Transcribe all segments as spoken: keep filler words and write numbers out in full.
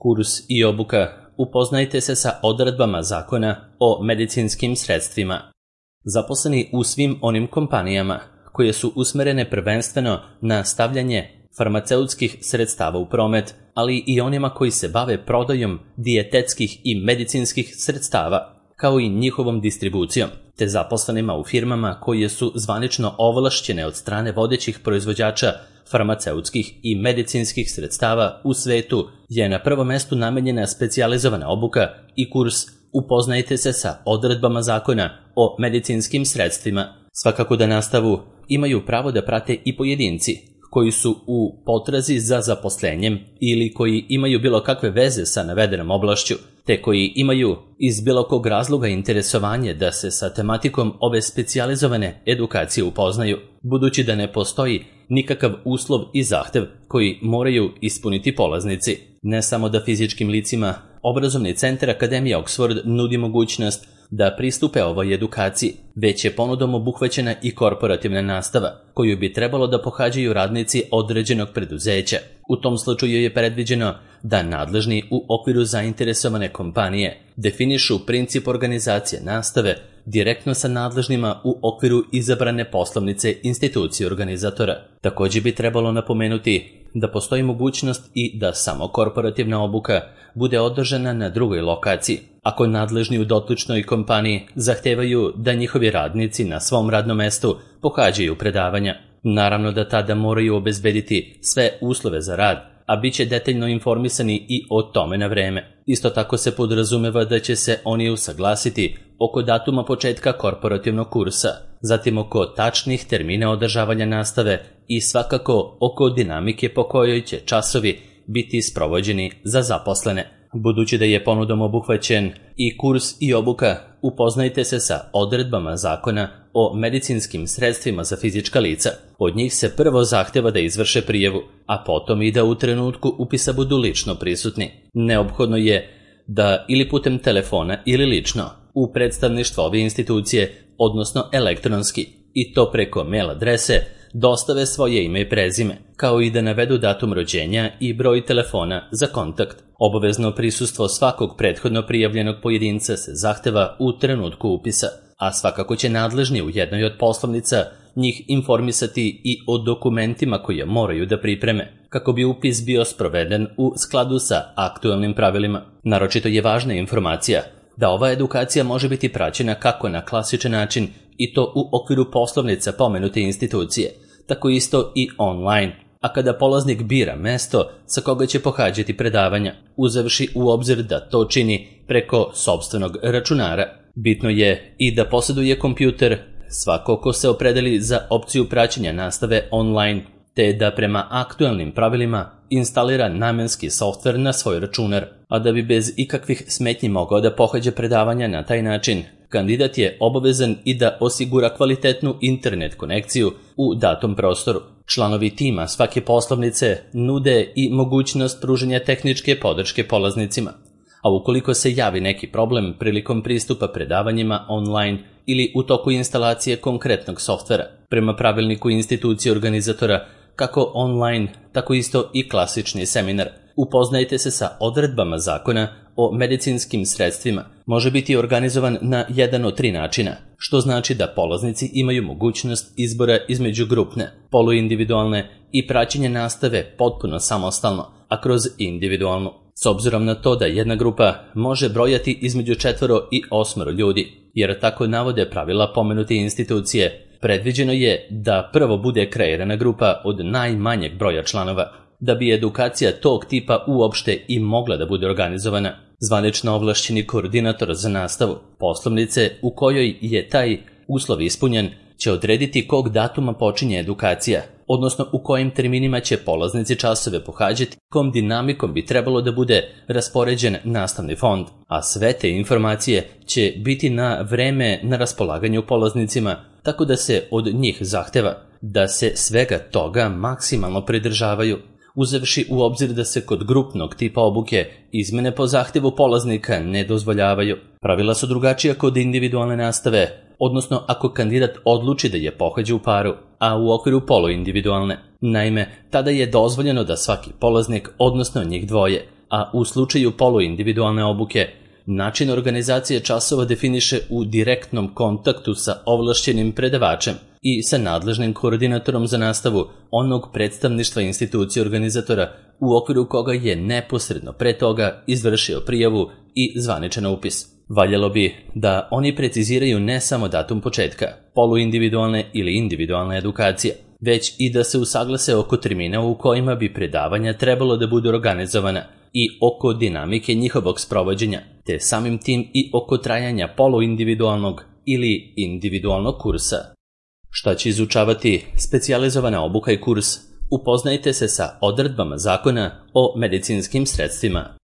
Kurs i obuka. Upoznajte se sa odredbama zakona o medicinskim sredstvima. Zaposleni u svim onim kompanijama koje su usmerene prvenstveno na stavljanje farmaceutskih sredstava u promet, ali i onima koji se bave prodajom dijetetskih i medicinskih sredstava, kao i njihovom distribucijom, te zaposlenima u firmama koje su zvanično ovlašćene od strane vodećih proizvođača farmaceutskih i medicinskih sredstava u svetu, je na prvom mestu namenjena specijalizovana obuka i kurs Upoznajte se sa odredbama zakona o medicinskim sredstvima. Svakako da nastavu imaju pravo da prate i pojedinci koji su u potrazi za zaposlenjem ili koji imaju bilo kakve veze sa navedenom oblašću, te koji imaju iz bilo kog razloga interesovanje da se sa tematikom ove specijalizovane edukacije upoznaju, budući da ne postoji nikakav uslov i zahtev koji moraju ispuniti polaznici. Ne samo da fizičkim licima, obrazovni centar Akademija Oxford nudi mogućnost da pristupe ovoj edukaciji, već je ponudom obuhvaćena i korporativna nastava, koju bi trebalo da pohađaju radnici određenog preduzeća. U tom slučaju je predviđeno da nadležni u okviru zainteresovane kompanije definišu princip organizacije nastave direktno sa nadležnima u okviru izabrane poslovnice institucije organizatora. Također bi trebalo napomenuti da postoji mogućnost i da samo korporativna obuka bude održana na drugoj lokaciji, ako nadležni u dotičnoj kompaniji zahtevaju da njihovi radnici na svom radnom mestu pohađaju predavanja. Naravno da tada moraju obezbediti sve uslove za rad, a bit će detaljno informisani i o tome na vreme. Isto tako se podrazumeva da će se oni usaglasiti oko datuma početka korporativnog kursa, zatim oko tačnih termina održavanja nastave i svakako oko dinamike po kojoj će časovi biti sprovođeni za zaposlene. Budući da je ponudom obuhvaćen i kurs i obuka, upoznajte se sa odredbama zakona o medicinskim sredstvima za fizička lica. Od njih se prvo zahteva da izvrše prijavu, a potom i da u trenutku upisa budu lično prisutni. Neophodno je da ili putem telefona ili lično u predstavništvo ove institucije, odnosno elektronski, i to preko mail adrese, dostave svoje ime i prezime, kao i da navedu datum rođenja i broj telefona za kontakt. Obavezno prisustvo svakog prethodno prijavljenog pojedinca se zahteva u trenutku upisa, a svakako će nadležni u jednoj od poslovnica njih informisati i o dokumentima koje moraju da pripreme, kako bi upis bio sproveden u skladu sa aktualnim pravilima. Naročito je važna informacija da ova edukacija može biti praćena kako na klasičan način i to u okviru poslovnica pomenute institucije, tako isto i online, a kada polaznik bira mesto sa koga će pohađati predavanja, uzevši u obzir da to čini preko sopstvenog računara. Bitno je i da posjeduje kompjuter svako ko se opredeli za opciju praćenja nastave online, te da prema aktualnim pravilima instalira namenski softver na svoj računar, a da bi bez ikakvih smetnji mogao da pohađa predavanja na taj način, kandidat je obavezan i da osigura kvalitetnu internet konekciju u datom prostoru. Članovi tima svake poslovnice nude i mogućnost pružanja tehničke podrške polaznicima, a ukoliko se javi neki problem prilikom pristupa predavanjima online ili u toku instalacije konkretnog softvera, prema pravilniku institucije organizatora, kako online, tako isto i klasični seminar, upoznajte se sa odredbama zakona o medicinskim sredstvima, može biti organizovan na jedan od tri načina, što znači da polaznici imaju mogućnost izbora između grupne, poluindividualne i praćenja nastave potpuno samostalno, a kroz individualnu. S obzirom na to da jedna grupa može brojati između četvoro i osmoro ljudi, jer tako navode pravila pomenute institucije, predviđeno je da prvo bude kreirana grupa od najmanjeg broja članova, da bi edukacija tog tipa uopšte i mogla da bude organizovana. Zvanično ovlašćeni koordinator za nastavu poslovnice u kojoj je taj uslov ispunjen će odrediti kog datuma počinje edukacija, odnosno u kojim terminima će polaznici časove pohađati, kom dinamikom bi trebalo da bude raspoređen nastavni fond, a sve te informacije će biti na vreme na raspolaganju polaznicima, tako da se od njih zahteva da se svega toga maksimalno pridržavaju, uzevši u obzir da se kod grupnog tipa obuke izmene po zahtevu polaznika ne dozvoljavaju. Pravila su drugačija kod individualne nastave, odnosno ako kandidat odluči da je pohađa u paru, a u okviru poluindividualne. Naime, tada je dozvoljeno da svaki polaznik, odnosno njih dvoje, a u slučaju poluindividualne obuke, način organizacije časova definiše u direktnom kontaktu sa ovlašćenim predavačem i sa nadležnim koordinatorom za nastavu onog predstavništva institucije organizatora u okviru koga je neposredno pre toga izvršio prijavu i zvaničan upis. Valjalo bi da oni preciziraju ne samo datum početka poluindividualne ili individualne edukacije, već i da se usaglase oko termina u kojima bi predavanja trebalo da budu organizovana i oko dinamike njihovog sprovođenja, te samim tim i oko trajanja poluindividualnog ili individualnog kursa. Šta će izučavati specijalizovana obuka i kurs? Upoznajte se sa odredbama zakona o medicinskim sredstvima.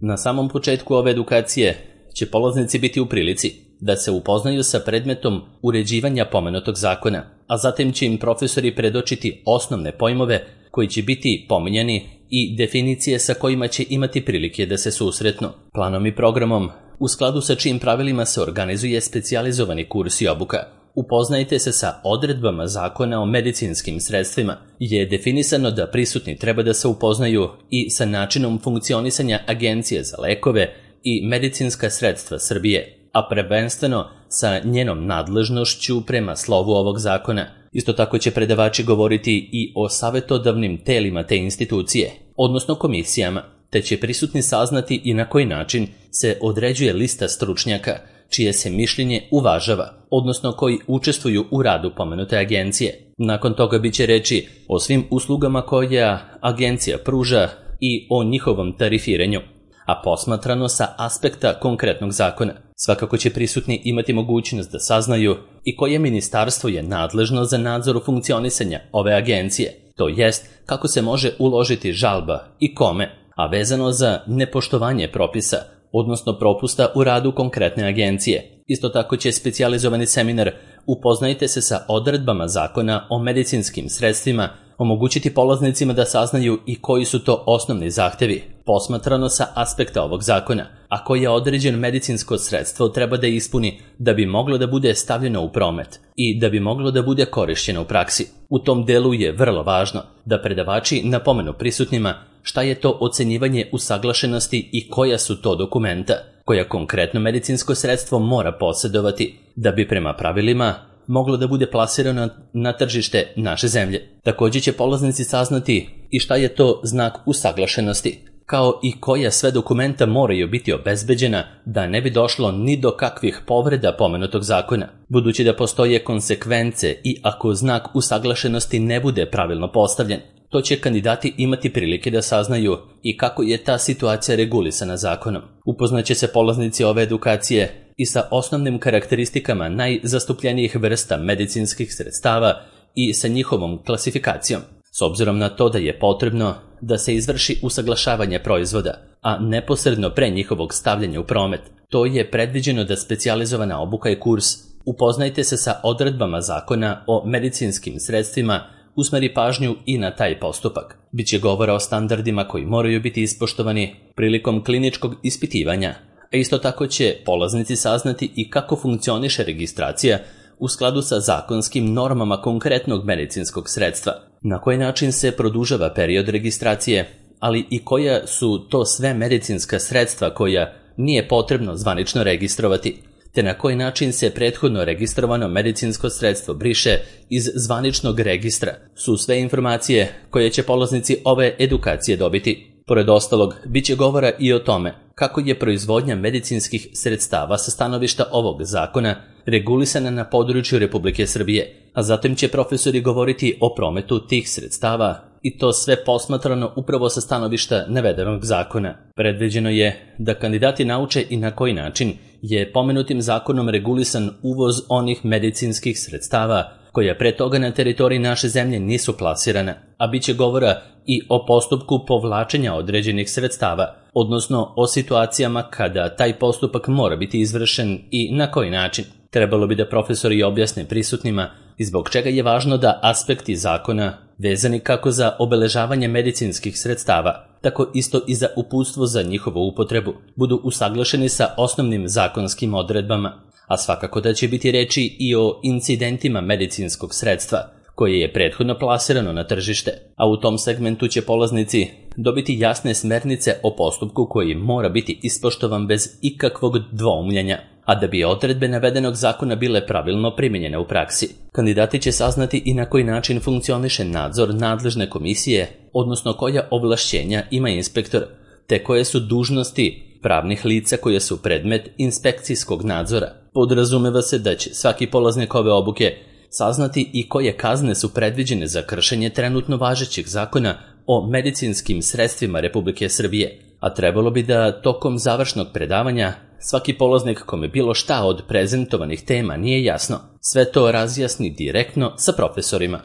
Na samom početku ove edukacije će polaznici biti u prilici da se upoznaju sa predmetom uređivanja pomenutog zakona, a zatim će im profesori predočiti osnovne pojmove koji će biti pominjani i definicije sa kojima će imati prilike da se susretnu. Planom i programom, u skladu sa čijim pravilima se organizuje specijalizovani kurs i obuka, upoznajte se sa odredbama zakona o medicinskim sredstvima, je definisano da prisutni treba da se upoznaju i sa načinom funkcionisanja Agencije za lekove i medicinska sredstva Srbije, a prvenstveno sa njenom nadležnošću prema slovu ovog zakona. Isto tako će predavači govoriti i o savetodavnim telima te institucije, odnosno komisijama, te će prisutni saznati i na koji način se određuje lista stručnjaka, čije se mišljenje uvažava, odnosno koji učestvuju u radu pomenute agencije. Nakon toga biće reči o svim uslugama koja agencija pruža i o njihovom tarifiranju, a posmatrano sa aspekta konkretnog zakona. Svakako će prisutni imati mogućnost da saznaju i koje ministarstvo je nadležno za nadzor funkcionisanja ove agencije, to jest kako se može uložiti žalba i kome, a vezano za nepoštovanje propisa, odnosno propusta u radu konkretne agencije. Isto tako će specijalizovani seminar Upoznajte se sa odredbama zakona o medicinskim sredstvima omogućiti polaznicima da saznaju i koji su to osnovni zahtevi, posmatrano sa aspekta ovog zakona, a koje određeno medicinsko sredstvo treba da ispuni da bi moglo da bude stavljeno u promet i da bi moglo da bude korišćeno u praksi. U tom delu je vrlo važno da predavači napomenu prisutnima šta je to ocenjivanje usaglašenosti i koja su to dokumenta koja konkretno medicinsko sredstvo mora posjedovati da bi prema pravilima moglo da bude plasirano na tržište naše zemlje. Također će polaznici saznati i šta je to znak usaglašenosti, kao i koja sve dokumenta moraju biti obezbeđena da ne bi došlo ni do kakvih povreda pomenutog zakona, budući da postoje konsekvence i ako znak usaglašenosti ne bude pravilno postavljen. To će kandidati imati prilike da saznaju i kako je ta situacija regulisana zakonom. Upoznaće se polaznici ove edukacije i sa osnovnim karakteristikama najzastupljenijih vrsta medicinskih sredstava i sa njihovom klasifikacijom, s obzirom na to da je potrebno da se izvrši usaglašavanje proizvoda, a neposredno pre njihovog stavljanja u promet. To je predviđeno da specijalizovana obuka i kurs Upoznajte se sa odredbama zakona o medicinskim sredstvima usmeri pažnju i na taj postupak. Biće govora o standardima koji moraju biti ispoštovani prilikom kliničkog ispitivanja, a isto tako će polaznici saznati i kako funkcioniše registracija u skladu sa zakonskim normama konkretnog medicinskog sredstva, na koji način se produžava period registracije, ali i koja su to sve medicinska sredstva koja nije potrebno zvanično registrovati, te na koji način se prethodno registrovano medicinsko sredstvo briše iz zvaničnog registra, su sve informacije koje će polaznici ove edukacije dobiti. Pored ostalog, bit će govora i o tome kako je proizvodnja medicinskih sredstava sa stanovišta ovog zakona regulisana na području Republike Srbije, a zatim će profesori govoriti o prometu tih sredstava i to sve posmatrano upravo sa stanovišta navedenog zakona. Predviđeno je da kandidati nauče i na koji način je pomenutim zakonom regulisan uvoz onih medicinskih sredstava koja pre toga na teritoriji naše zemlje nisu plasirana, a bit će govora i o postupku povlačenja određenih sredstava, odnosno o situacijama kada taj postupak mora biti izvršen i na koji način. Trebalo bi da profesori objasne prisutnima i zbog čega je važno da aspekti zakona, vezani kako za obeležavanje medicinskih sredstava, tako isto i za uputstvo za njihovu upotrebu, budu usaglašeni sa osnovnim zakonskim odredbama, a svakako da će biti reči i o incidentima medicinskog sredstva, koje je prethodno plasirano na tržište, a u tom segmentu će polaznici dobiti jasne smernice o postupku koji mora biti ispoštovan bez ikakvog dvoumljenja, a da bi odredbe navedenog zakona bile pravilno primijenjene u praksi. Kandidati će saznati i na koji način funkcioniše nadzor nadležne komisije, odnosno koja ovlašćenja ima inspektor, te koje su dužnosti pravnih lica koje su predmet inspekcijskog nadzora. Podrazumeva se da će svaki polaznik ove obuke saznati i koje kazne su predviđene za kršenje trenutno važećeg zakona o medicinskim sredstvima Republike Srbije, a trebalo bi da tokom završnog predavanja svaki polaznik kome bilo šta od prezentovanih tema nije jasno, sve to razjasni direktno sa profesorima.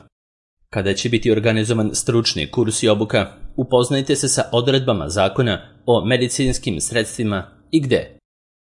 Kada će biti organizovan stručni kurs i obuka, upoznajte se sa odredbama zakona o medicinskim sredstvima i gde.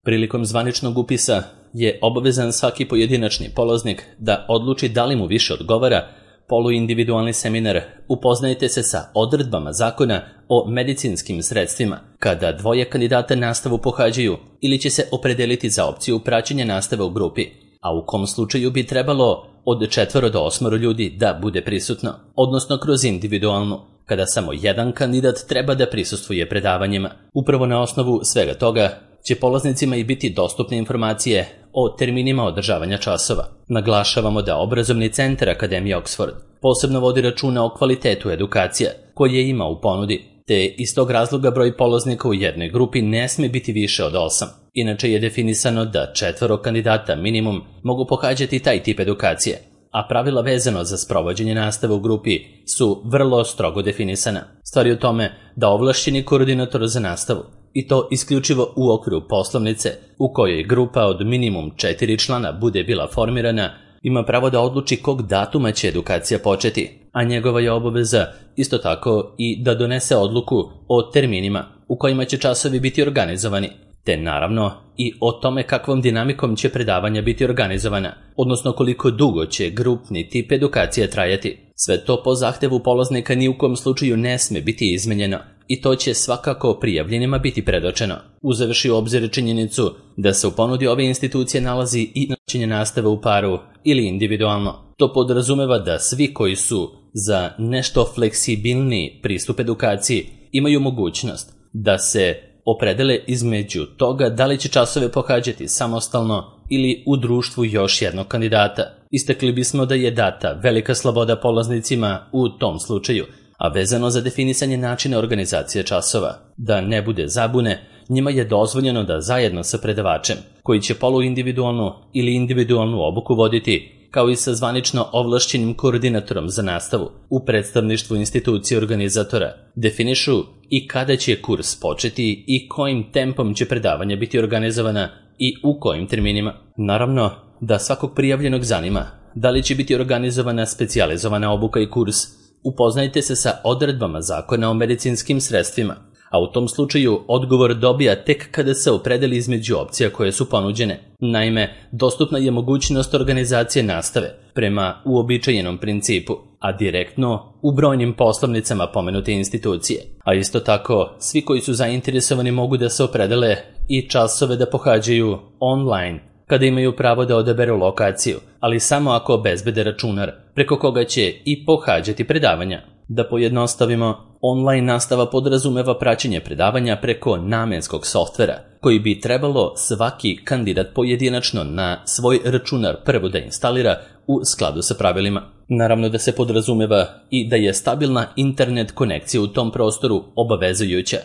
Prilikom zvaničnog upisa je obavezan svaki pojedinačni polaznik da odluči da li mu više odgovara poluindividualni seminar upoznajte se sa odredbama zakona o medicinskim sredstvima, kada dvoje kandidata nastavu pohađaju ili će se opredeliti za opciju praćenja nastave u grupi, a u kom slučaju bi trebalo od četvoro do osmoro ljudi da bude prisutno, odnosno kroz individualnu, kada samo jedan kandidat treba da prisustvuje predavanjima. Upravo na osnovu svega toga će polaznicima i biti dostupne informacije o terminima održavanja časova. Naglašavamo da obrazovni centar Akademije Oxford posebno vodi računa o kvalitetu edukacija koje ima u ponudi, te iz tog razloga broj polaznika u jednoj grupi ne sme biti više od osam. Inače je definisano da četvoro kandidata minimum mogu pohađati taj tip edukacije, a pravila vezano za sprovođenje nastave u grupi su vrlo strogo definisana. Stvar je u tome da ovlašćeni koordinator za nastavu, i to isključivo u okviru poslovnice u kojoj grupa od minimum četiri člana bude bila formirana, ima pravo da odluči kog datuma će edukacija početi, a njegova je obaveza isto tako i da donese odluku o terminima u kojima će časovi biti organizovani, te naravno i o tome kakvom dinamikom će predavanja biti organizovana, odnosno koliko dugo će grupni tip edukacije trajati. Sve to po zahtevu polaznika ni u kom slučaju ne sme biti izmenjeno i to će svakako prijavljenima biti predočeno. Uzevši u obzir činjenicu da se u ponudi ove institucije nalazi i načinje nastave u paru ili individualno. To podrazumeva da svi koji su za nešto fleksibilniji pristup edukaciji imaju mogućnost da se opredele između toga da li će časove pohađati samostalno ili u društvu još jednog kandidata. Istakli bismo da je data velika sloboda polaznicima u tom slučaju, a vezano za definisanje načina organizacije časova. Da ne bude zabune, njima je dozvoljeno da zajedno sa predavačem, koji će poluindividualnu ili individualnu obuku voditi, kao i sa zvanično ovlašćenim koordinatorom za nastavu u predstavništvu institucije organizatora, definišu i kada će kurs početi i kojim tempom će predavanja biti organizovana i u kojim terminima. Naravno da svakog prijavljenog zanima da li će biti organizovana specijalizovana obuka i kurs, upoznajte se sa odredbama zakona o medicinskim sredstvima, a u tom slučaju odgovor dobija tek kada se opredeli između opcija koje su ponuđene. Naime, dostupna je mogućnost organizacije nastave prema uobičajenom principu, a direktno u brojnim poslovnicama pomenute institucije. A isto tako, svi koji su zainteresovani mogu da se opredele i časove da pohađaju online, kada imaju pravo da odaberu lokaciju, ali samo ako obezbede računar, preko koga će i pohađati predavanja. Da pojednostavimo, online nastava podrazumeva praćenje predavanja preko namenskog softvera, koji bi trebalo svaki kandidat pojedinačno na svoj računar prvo da instalira u skladu sa pravilima. Naravno da se podrazumeva i da je stabilna internet konekcija u tom prostoru obavezujuća,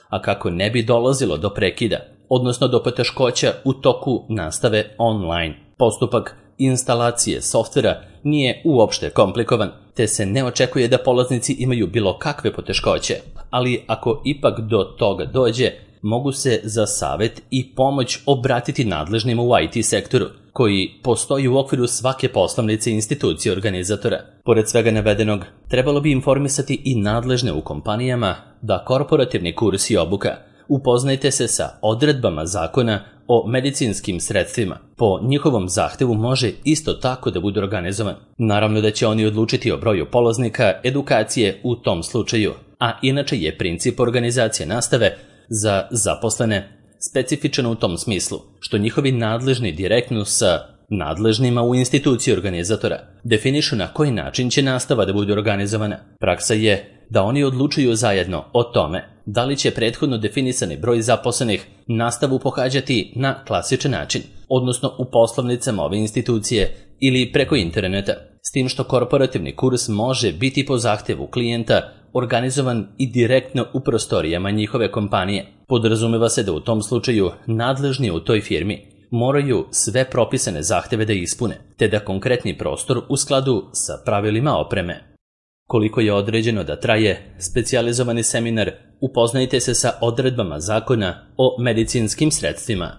a kako ne bi dolazilo do prekida, odnosno do poteškoća u toku nastave online. Postupak instalacije softvera nije uopšte komplikovan, te se ne očekuje da polaznici imaju bilo kakve poteškoće, ali ako ipak do toga dođe, mogu se za savet i pomoć obratiti nadležnima u I T sektoru, koji postoji u okviru svake poslovnice institucije organizatora. Pored svega navedenog, trebalo bi informisati i nadležne u kompanijama da korporativni kurs i obuka upoznajte se sa odredbama zakona o medicinskim sredstvima. Po njihovom zahtevu može isto tako da bude organizovan. Naravno da će oni odlučiti o broju polaznika edukacije u tom slučaju, a inače je princip organizacije nastave za zaposlene specifičan u tom smislu, što njihovi nadležni direktno sa nadležnima u instituciji organizatora definišu na koji način će nastava da bude organizovana. Praksa je da oni odlučuju zajedno o tome da li će prethodno definisani broj zaposlenih nastavu pohađati na klasičan način, odnosno u poslovnicama ove institucije ili preko interneta, s tim što korporativni kurs može biti po zahtjevu klijenta organizovan i direktno u prostorijama njihove kompanije. Podrazumeva se da u tom slučaju nadležni u toj firmi moraju sve propisane zahtjeve da ispune, te da konkretni prostor u skladu sa pravilima opreme. Koliko je određeno da traje specijalizovani seminar, upoznajte se sa odredbama zakona o medicinskim sredstvima.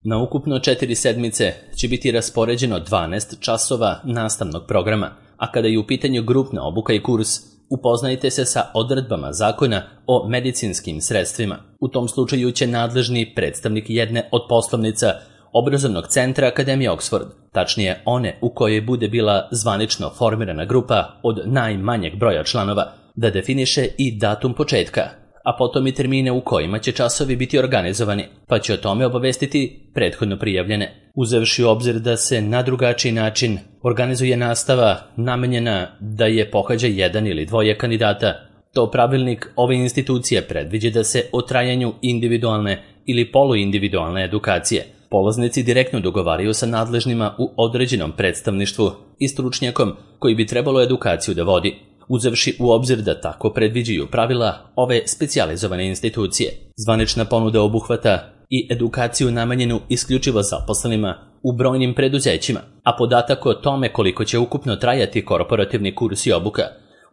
Na ukupno četiri sedmice će biti raspoređeno dvanaest časova nastavnog programa, a kada je u pitanju grupna obuka i kurs, upoznajte se sa odredbama zakona o medicinskim sredstvima. U tom slučaju će nadležni predstavnik jedne od poslovnica obrazovnog centra Akademije Oxford, tačnije one u kojoj bude bila zvanično formirana grupa od najmanjeg broja članova, da definiše i datum početka, a potom i termine u kojima će časovi biti organizovani, pa će o tome obavestiti prethodno prijavljene. Uzevši u obzir da se na drugačiji način organizuje nastava namenjena da je pohađa jedan ili dvoje kandidata, to pravilnik ove institucije predviđa da se o trajanju individualne ili poluindividualne edukacije polaznici direktno dogovaraju sa nadležnima u određenom predstavništvu i stručnjakom koji bi trebalo edukaciju da vodi, uzevši u obzir da tako predviđaju pravila ove specijalizovane institucije. Zvanična ponuda obuhvata i edukaciju namenjenu isključivo zaposlenima u brojnim preduzećima, a podatak o tome koliko će ukupno trajati korporativni kurs i obuka,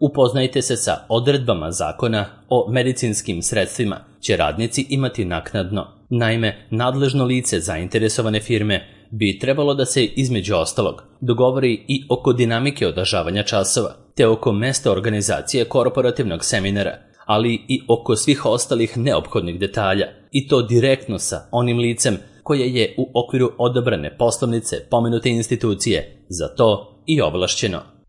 upoznajte se sa odredbama zakona o medicinskim sredstvima, će radnici imati naknadno. Naime, nadležno lice zainteresovane firme bi trebalo da se između ostalog dogovori i oko dinamike održavanja časova, te oko mesta organizacije korporativnog seminara, ali i oko svih ostalih neophodnih detalja, i to direktno sa onim licem koje je u okviru odabrane poslovnice pomenute institucije za to i ovlašćeno.